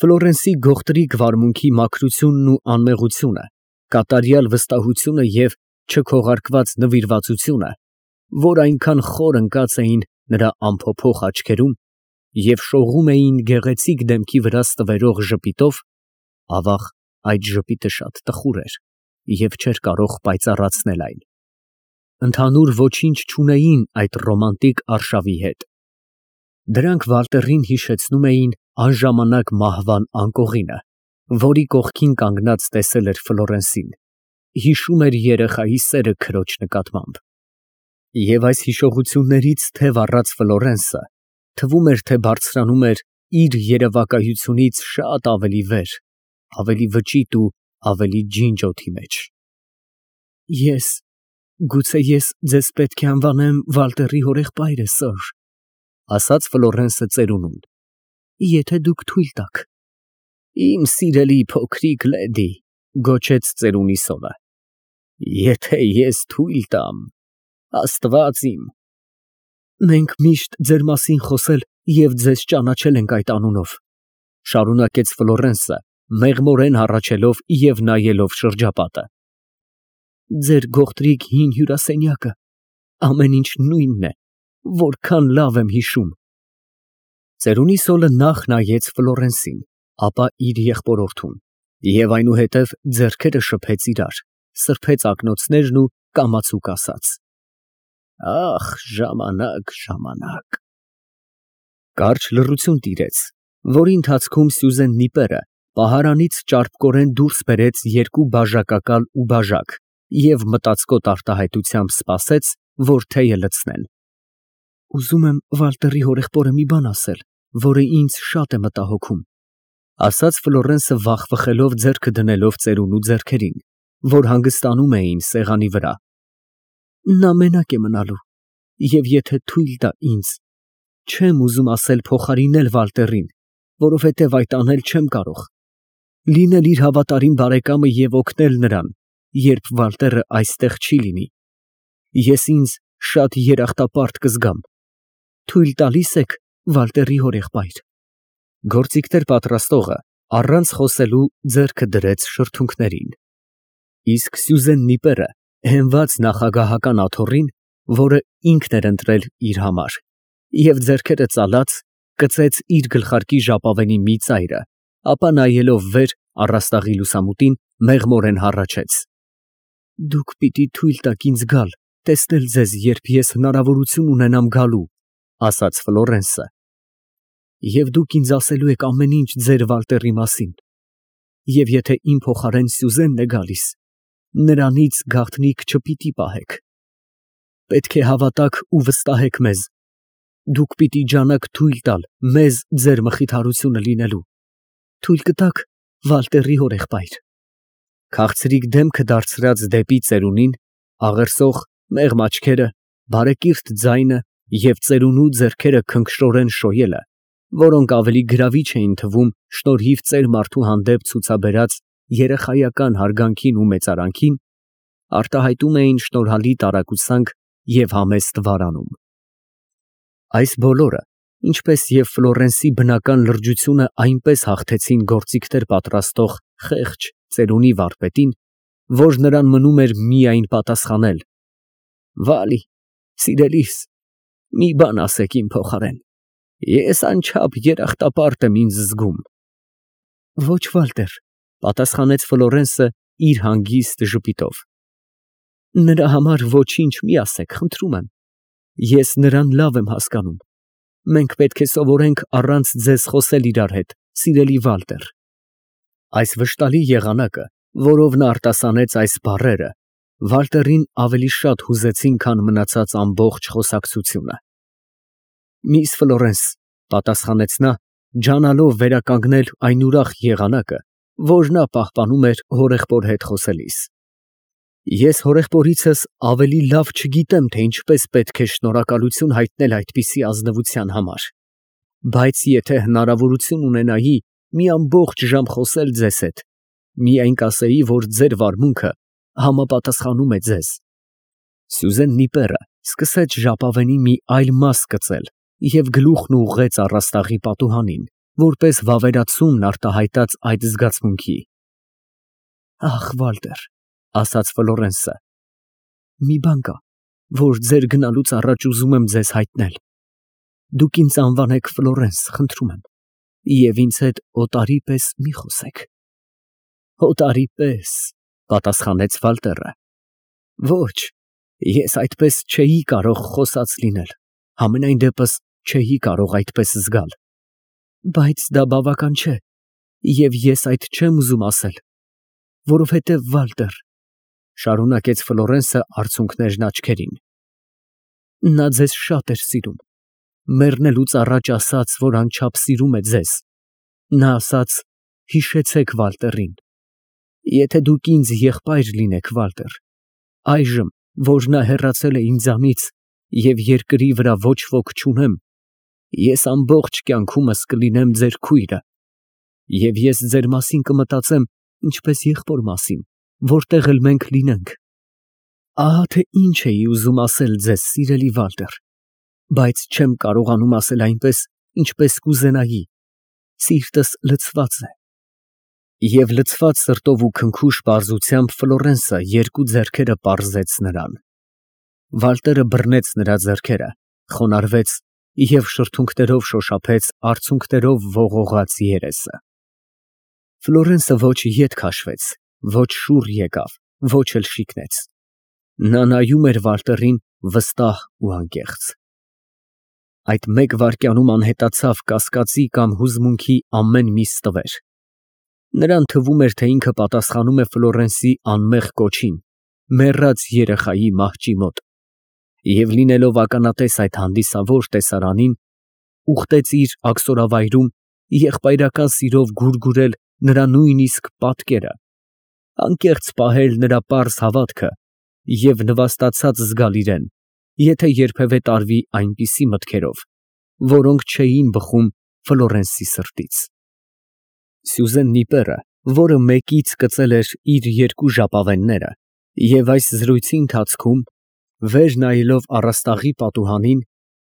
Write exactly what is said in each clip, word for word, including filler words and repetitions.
Ֆլորենսի գողտրիկ վարմունքի մաքրությունն ու անմեղությունը, կատարյալ վստահությունը և չքողարկված նվիրվածությունը, որ այնքան խոր ընկած էին նրա անփոփոխ աչքերում և շողում էին գեղեցիկ դեմքի վրա ստվերող ժպիտով, ավաղ, այդ ժպիտը շատ տխուր էր և չէր կարող պայծառացնել այն. ընդհանուր ոչինչ չունեին այդ ռոմանտիկ արշավի հետ. դրանք Վալտերին հիշեցնում էին անժամանակ մահվան անկողինը, որի կողքին կանգնած տեսել էր Ֆլորենսին, հիշում էր երեխայի սերը քրոջ նկատմամբ։ Եվ այս հիշողություններից թև առած Ֆլորենսը թվում էր, թե բարձրանում էր իր երևակայությունից շատ ավելի վեր, ավելի վճիտ ու ավելի ջինջ օդի մեջ։ Ես… գուցե ես ձեզ պետք է անվանեմ Վալտերի հորեղբայրը, սըր, ֊ ասաց Ֆլորենսը ծերունուն, ֊ եթե դուք թույլ տաք։ Իմ սիրելի փոքրիկ լեդի, ֊ գոչեց ծերունի սողը, ֊ եթե ես թույլ տամ… Աստված իմ… Մենք միշտ ձեր մասին խոսել և ձեզ ճանաչել ենք այդ անունով, ֊ շարունակեց Ֆլորենսը, մեղմորեն հառաչելով և նայելով շրջապատը։ Ձեր գողտրիկ հին հյուրասենյակը, ամեն ինչ նույնն է, որքան լավ եմ հիշում։ Ծերունի սոլը նախ նայեց Ֆլորենսին, ապա իր եղբորորդուն և այնուհետև ձեռքերը շփեց իրար, սրբեց ակնոցներն ու կամացուկ ասաց. Ախ, ժամանակ, ժամանակ… Կարճ լռություն տիրեց, որի ընթացքում Սյուզեն Նիպերը պահարանից ճարպկորեն դուրս բերեց երկու բաժակակալ ու բաժակ և մտածկոտ արտահայտությամբ սպասեց, որ թեյը լցնեն։ Ուզում եմ Վալտերի հորեղբորը մի բան ասել, որը ինձ շատ է մտահոգում, ֊ ասաց Ֆլորենսը վախվխելով ձեռքը դնելով ծերունու ձեռքերին, որ հանգստանում էին սեղանի վրա։ Նա մենակ է մնալու, և եթե թույլ տա ինձ, չեմ ուզում ասել փոխարինել Վալտերին, որովհետև այդ անել չեմ կարող, լինել իր հավատարիմ բարեկամը և օգնել նրան, երբ Վալտերը այստեղ չի լինի։ Ես ինձ շատ երախտապարտ կզգամ։ Թույլ տալի՞ս եք, Վալտերի հորեղբայր։ Գործիքներ պատրաստողը առանց խոսելու ձեռքը դրեց շրթունքներին, իսկ Սյուզեն Նիպերը հենված նախագահական աթոռին, որը ինքն էր ընտրել իր համար, և ձեռքերը ծալած, կծեց իր գլխարկի ժապավենի մի ծայրը, ապա նայելով վեր առաստաղի լուսամուտին, մեղմորեն հառաչեց. Դուք պիտի թույլ տաք ինձ գալ, տեսնել ձեզ, երբ ես հնարավորություն ունենամ գալու, ֊ ասաց Ֆլորենսը, և դուք ինձ ասելու եք ամեն ինչ ձեր Վալտերի մասին, և եթե իմ փոխարեն Սյուզենն է գալիս, նրանից գաղտնիք չպիտի պահեք։ Պետք է հավատաք ու վստահեք մեզ, դուք պիտի ջանաք թույլ տալ մեզ ձեր մխիթարությունը լինելու, թույլ կտա՞ք, Վալտերի հորեղբայր։ Քաղցրիկ դեմքը դարձրած դեպի ծերունին, աղերսող մեղմ աչքերը, բարեկիրթ ձայնը և ծերունու ձեռքերը քնքշորեն շոյելը, որոնք ավելի գրավիչ էին թվում շնորհիվ ծեր մարդու հանդեպ ցուցաբերած երեխայական հարգանքին ու մեծարանքին, արտահայտում էին շնորհալի տարակուսանք և համեստ վարանում։ Այս բոլորը, ինչպես և Ֆլորենսի բնական լրջությունը այնպես հաղթեցին գործիքներ պատրաստող խեղճ ծերունի վարպետին, որ նրան մնում էր միայն պատասխանել. Վալի, սիրելիս, մի բան ասեք իմ փոխարեն, ես անչափ երախտապարտ եմ ինձ զգում։ Ոչ, Վալտեր, ֊ պատասխանեց Ֆլորենսը իր հանգիստ ժպիտով, նրա համար ոչինչ մի ասեք, խնդրում եմ, ես նրան լավ եմ հասկանում, մենք պետք է սովորենք առանց ձեզ խոսել իրար հետ, սիրելի Վալտեր։ Այս վշտալի եղանակը, որով նա արտասանեց այս բառերը, Վալտերին ավելի շատ հուզեցին, քան մնացած ամբողջ խոսակցությունը։ Միս Ֆլորենս, ֊ պատասխանեց նա, ջանալով վերականգնել այն ուրախ եղանակը, որ նա պահպանում էր հորեղբոր հետ խոսելիս, ես հորեղբորիցս ավելի լավ չգիտեմ, թե ինչպես պետք է շնորհակալություն հայտնել այդպիսի ազնվության համար, բայց եթե հնարավորություն ունենայի մի ամբողջ ժամ խոսել ձեզ հետ, միայն կասեի, որ ձեր վարմունքը համապատասխանում է ձեզ։ Սյուզեն Նիպերը սկսեց ժապավենի մի այլ մաս կծել և գլուխն ուղղեց առաստաղի պատուհանին, որպես վավերացումն արտահայտած այդ զգացմունքի։ Ախ, Վալտեր, ասաց Ֆլորենսը, մի բան կա, որ ձեր գնալուց առաջ ուզում եմ ձեզ հայտնել. դուք ինձ անվանեք Ֆլորենս, խնդրում եմ, և ինձ հետ օտարի պես մի խոսեք։ Օտարի պես, պատասխանեց Վալտերը։ Ոչ, ես այդպես չէի կարող խոսած լինել, համենայն դեպս չէի կարող այդպես զգալ։ Բայց դա բավական չէ, և ես այդ չեմ ուզում ասել, որովհետև Վալտեր, շարունակեց Ֆլորենսը արցունքներն աչքերին, նա ձեզ շատ էր սիրում, մեռնելուց առաջ ասաց, որ անչափ սիրում է ձեզ։ Նա ասաց, հիշեցեք Վալտերին։ Եթե դուք ինձ եղբայր լինեք, Վալտեր, այժմ, որ նա հեռացել է ինձանից և երկրի վրա ոչ ոք չունեմ, ես ամբողջ կյանքումս կլինեմ ձեր քույրը, և ես ձեր մասին կմտածեմ ինչպես եղբոր մասին, որտեղ էլ մենք լինենք։ Ահա թե ինչ էի ուզում ասել ձեզ, սիրելի Վալտեր, բայց չեմ կարողանում ասել այնպես, ինչպես կուզենայի, սիրտս լցված է։ Եվ լցված սրտով ու քնքուշ պարզությամբ Ֆլորենսը երկու ձեռքերը պարզեց նրան։ Վալտերը բռնեց նրա ձեռքերը, խոնարհվեց և շրթունքներով շոշափեց արցունքներով ողողած երեսը։ Ֆլորենսը ոչ ետ քաշվեց, ոչ շուռ եկավ, ոչ էլ շիկնեց։ Նա նայում էր Վալտերին վստահ ու անկեղծ։ Այդ մեկ վայրկյանում անհետացավ կասկածի կամ հուզմունքի ամեն մի ստվեր։ Նրան թվում էր, թե ինքը պատասխանում է Ֆլորենսի անմեղ կոչին, մեռած երեխայի մահճի մոտ, և լինելով ականատես այդ հանդիսավոր տեսարանին, ուխտեց իր աքսորավայրում եղբայրական սիրով գուրգուրել նրա նույնիսկ պատկերը, անկեղծ պահել նրա պարզ հավատքը և նվաստացած զգալ իրեն, եթե երբևէ տարվի այնպիսի մտքերով, որոնք չէին բխում Ֆլորենսի սրտից։ Սյուզեն Նիպերը, որը մեկից կծել էր իր երկու ժապավենները և այս զրույցի ընթացքում, վեր նայելով առաստաղի պատուհանին,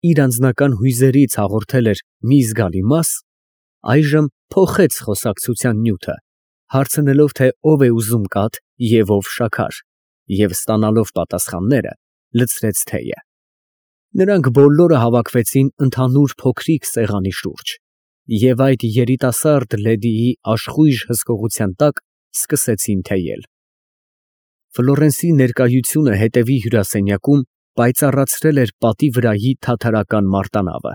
իր անձնական հույզերից հաղորդել էր մի զգալի մաս, այժմ փոխեց խոսակցության նյութը, հարցնելով, թե ով է ուզում կաթ և ով շաքար, և ստանալով պատասխանները, լցրեց թեյը։ Նրանք բոլորը հավաքվեցին ընդհանուր փոքրիկ սեղանի շուրջ և այդ երիտասարդ լեդիի աշխույժ հսկողության տակ սկսեցին թեյել։ Ֆլորենսի ներկայությունը հետևի հյուրասենյակում պայծառացրել էր պատի վրայի թաթարական մարտանավը։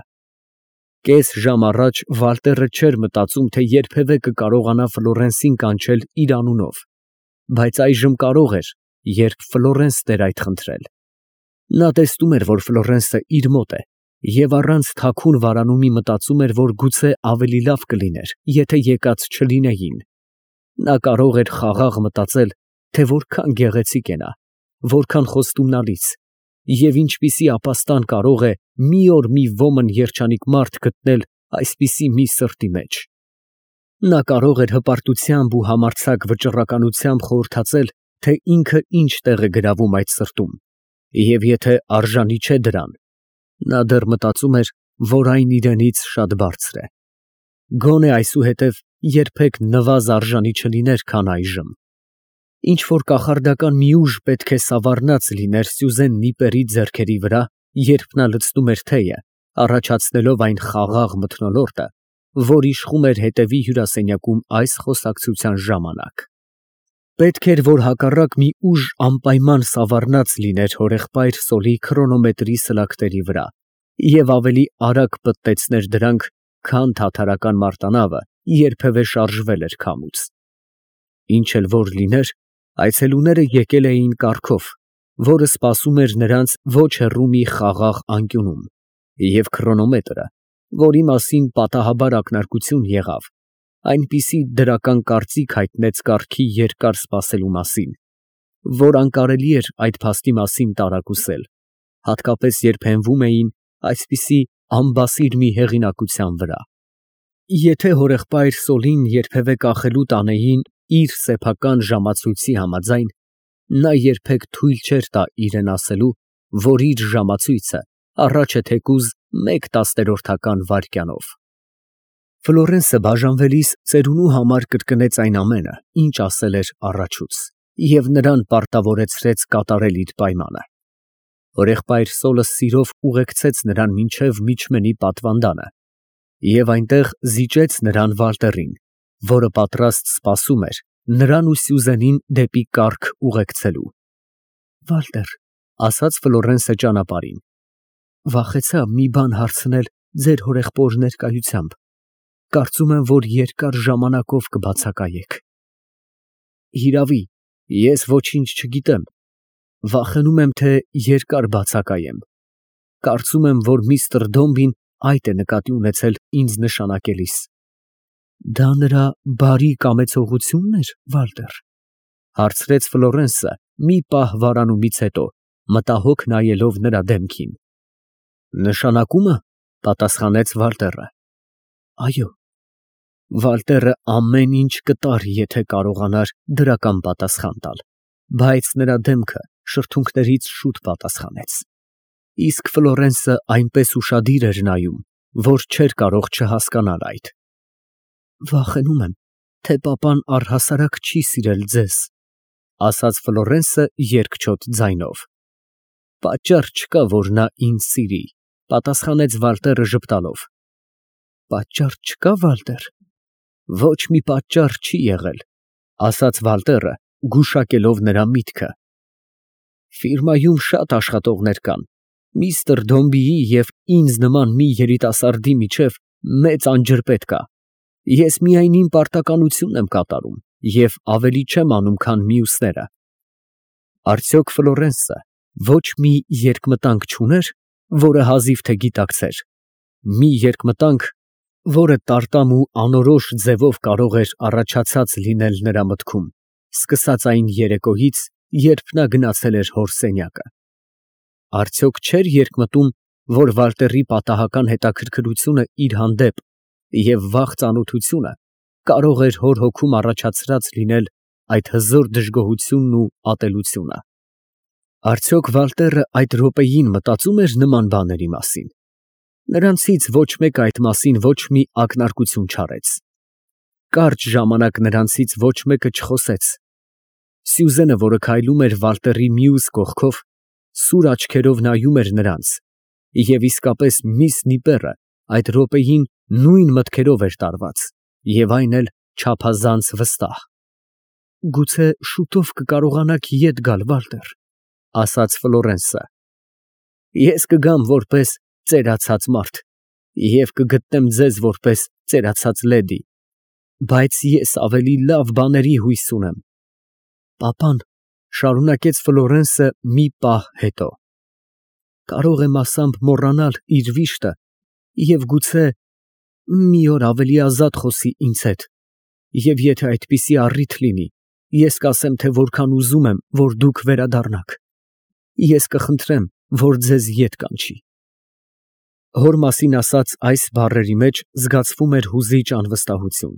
Կես ժամ առաջ Վալտերը չէր մտածում, թե երբևէ կկարողանա Ֆլորենսին կանչել իր անունով, բայց այժմ կարող էր, երբ Ֆլորենսն էր այդ խնդրել։ Նա տեսնում էր, որ Ֆլորենսը իր մոտ է և առանց թաքուն վարանումի մտածում էր, որ գուցե ավելի լավ կլիներ, եթե եկած չլինեին։ Նա կարող էր խաղաղ մտածել, թե որքան գեղեցիկ է նա, որքան խոստումնալից, և ինչպիսի ապաստան կարող է մի օր մի ոմն երջանիկ մարդ գտնել այսպիսի մի սրտի մեջ։ Նա կարող էր հպարտությամբ ու համարձակ վճռականությամբ խորհրդածել, թե ինքը ինչ տեղ է գրավում այդ սրտում, և եթե արժանի չէ դրան, նա դեռ մտածում էր, որ այն իրենից շատ բարձր է։ Գոնե այսուհետև երբեք նվազ արժանի չլիներ, քան այժմ։ Ինչ-որ կախարդական մի ուժ պետք է սավառնած լիներ Սյուզեն Նիպերի ձեռքերի վրա, երբ նա լցնում էր թեյը, առաջացնելով այն խաղաղ մթնոլորտը, որ իշխում էր հետևի հյուրասենյակում այս խոսակցության ժամանակ։ Պետք էր, որ հակառակ մի ուժ անպայման սավառնած լիներ հորեղբայր Սոլի քրոնոմետրի սլակների վրա և ավելի արագ պտտեցներ դրանք, քան թաթարական մարտանավը երբևէ շարժվել էր քամուց։ Ինչ էլ որ լիներ, այցելուները եկել էին կառքով, որը սպասում էր նրանց ոչ հեռու մի խաղաղ անկյունում, և քրոնոմետրը, որի մասին պատահաբար ակնարկություն եղավ, այնպիսի դրական կարծիք հայտնեց կառքի երկար սպասելու մասին, որ անկարելի էր այդ փաստի մասին տարակուսել, հատկապես երբ հենվում էին այսպիսի անբասիր մի հեղինակության վրա։ Եթե հորեղբայր Սոլին երբևէ կախելու տանեին իր սեփական ժամացույցի համաձայն, նա երբեք թույլ չէր տա իրեն ասելու, որ իր ժամացույցը առաջ է թեկուզ մեկ տասներորդական վայրկյանով։ Ֆլորենսը բաժանվելիս ծերունու համար կրկնեց այն ամենը, ինչ ասել էր առաջուց, և նրան պարտավորեցրեց կատարել իր պայմանը։ Հորեղբայր Սոլը սիրով ուղեկցեց նրան մինչև միջմենի պատվանդանը և այնտեղ զիջեց նրան Վալտերին, որը պատրաստ սպասում էր նրան ու Սյուզենին դեպի կառք ուղեկցելու։ ֊ Վալտեր, ֊ ասաց Ֆլորենսը ճանապարհին, ֊ վախեցա մի բան հարցնել ձեր հորեղբոր ներկայությամբ, կարծում եմ, որ երկար ժամանակով կբացակայեք։ ֊ Հիրավի, ես ոչինչ չգիտեմ, վախենում եմ, թե երկար բացակայեմ, կարծում եմ, որ միստր Դոմբին այդ է նկատի ունեցել ինձ նշանակելիս։ ֊ Դա նրա բարի կամեցողությո՞ւնն էր, Վալտեր, ֊ հարցրեց Ֆլորենսը մի պահ վարանումից հետո, մտահոգ նայելով նրա դեմքին։ ֊ Նշանակումը, ֊ պատասխանեց Վալտերը, ֊ այո։ Վալտերը ամեն ինչ կտար, եթե կարողանար դրական պատասխան տալ, բայց նրա դեմքը շրթունքներից շուտ պատասխանեց, իսկ Ֆլորենսը այնպես ուշադիր էր նայում, որ չէր կարող չհասկանալ այդ։ ֊ Վախենում եմ, թե պապան առհասարակ չի սիրել ձեզ, ֊ ասաց Ֆլորենսը երկչոտ ձայնով։ ֊ Պատճառ չկա, որ նա ինձ սիրի, ֊ պատասխանեց Վալտերը ժպտալով։ ֊ Պատճառ չկա, Վալտեր։ ֊ Ոչ մի պատճառ չի եղել, ֊ ասաց Վալտերը, գուշակելով նրա միտքը։ ֊ Ֆիրմայում շատ աշխատողներ կան, միստր Դոմբիի և ինձ նման մի երիտասարդի միջև մեծ անջրպետ կա, ես միայն իմ պարտականությունն եմ կատարում և ավելի չեմ անում, քան մյուսները։ Արդյոք Ֆլորենսը ոչ մի երկմտանք չուներ, որը հազիվ թե գիտակցեր, մի երկմտանք, որը տարտամ ու անորոշ ձևով կարող էր առաջացած լինել նրա մտքում, սկսած այն երեկոյից, երբ նա գնացել էր հոր սենյակը։ Արդյոք չէր երկմտում, որ Վալտերի պատահական հետաքրքրությունը իր հանդեպ և վաղ ծանոթությունը կարող էր հոր հոգում առաջացրած լինել այդ հզոր դժգոհությունն ու ատելությունը։ Արդյոք Վալտերը այդ րոպեին մտածում էր նման բաների մասին։ Նրանցից ոչ մեկը այդ մասին ոչ մի ակնարկություն չարեց։ Կարճ ժամանակ նրանցից ոչ մեկը չխոսեց։ Սյուզենը, որը քայլում էր Վալտերի մյուս կողքով, սուր աչքերով նայում էր նրանց, և իսկապես միս Նիպերը այդ րոպեին նույն մտքերով էր տարված, և այն էլ չափազանց վստահ։ ֊ Գուցե շուտով կկարողանաք ետ գալ, Վալտեր, ֊ ասաց Ֆլորենսը։ ֊ Ես կգամ որպես ծերացած մարդ և կգտնեմ ձեզ որպես ծերացած լեդի, բայց ես ավելի լավ բաների հույս ունեմ։ ֊ Պապան, ֊ շարունակեց Ֆլորենսը մի պահ հետո, ֊ կարող է մասամբ մոռանալ իր վիշտը և գուցե մի օր ավելի ազատ խոսի ինձ հետ, և եթե այդպիսի առիթ լինի, ես կասեմ, թե որքան ուզում եմ, որ դուք վերադառնաք, ես կխնդրեմ, որ ձեզ ետ կանչի։ Հոր մասին ասած այս բառերի մեջ զգացվում էր հուզիչ անվստահություն,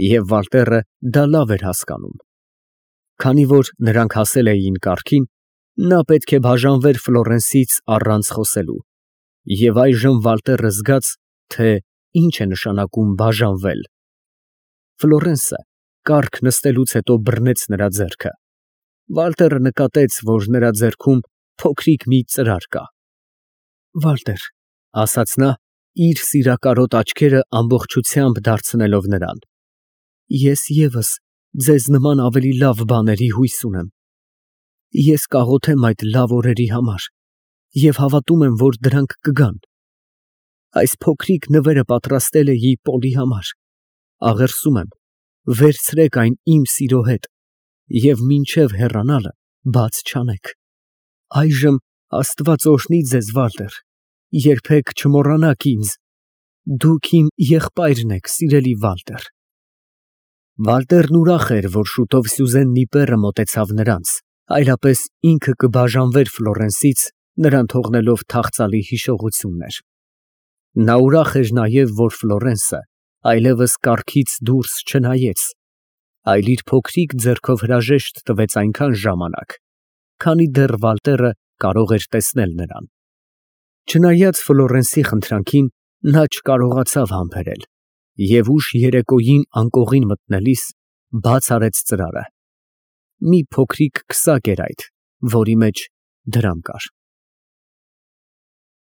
և Վալտերը դա լավ էր հասկանում։ Քանի որ նրանք հասել էին կառքին, նա պետք է բաժանվեր Ֆլորենսից առանց խոսելու, և այժմ Վալտերը զգաց, թե ինչ է նշանակում բաժանվել։ Ֆլորենսը կառք նստելուց հետո բռնեց նրա ձեռքը։ Վալտերը նկատեց, որ նրա ձեռքում փոքրիկ մի ծրար կա։ ֊ Վալտեր, ֊ ասաց նա, իր սիրակարոտ աչքերը ամբողջությամբ դարձնելով նրան, ֊ ես ևս ձեզ նման ավելի լավ բաների հույս ունեմ։ Ես կաղոթեմ այդ լավ օրերի համար և հավատում եմ, որ դրանք կգան։ Այս փոքրիկ նվերը պատրաստել էի Պոլի համար, աղերսում եմ, վերցրեք այն իմ սիրո հետ և մինչև հեռանալը բաց չանեք։ Այժմ Աստված օրհնի ձեզ, Վալտեր, երբեք չմոռանաք ինձ, դուք իմ եղբայրն եք, սիրելի Վալտեր։ Վալտերն ուրախ էր, որ շուտով Սյուզեն Նիպերը մոտեցավ նրանց, այլապես ինքը կբաժանվեր Ֆլորենսից, նրան թողնելով թախծալի հիշողություններ։ Նա ուրախ էր նաև, որ Ֆլորենսը այլևս կառքից դուրս չնայեց, այլ իր փոքրիկ ձեռքով հրաժեշտ տվեց այնքան ժամանակ, քանի դեռ Վալտերը կարող էր տեսնել նրան։ Չնայած Ֆլորենսի խնդրանքին, նա չկարողացավ համբերել։ Եվ ուշ երեկոյին անկողին մտնելիս բաց արեց ծրարը. մի փոքրիկ քսակ էր այդ, որի մեջ դրամ կար։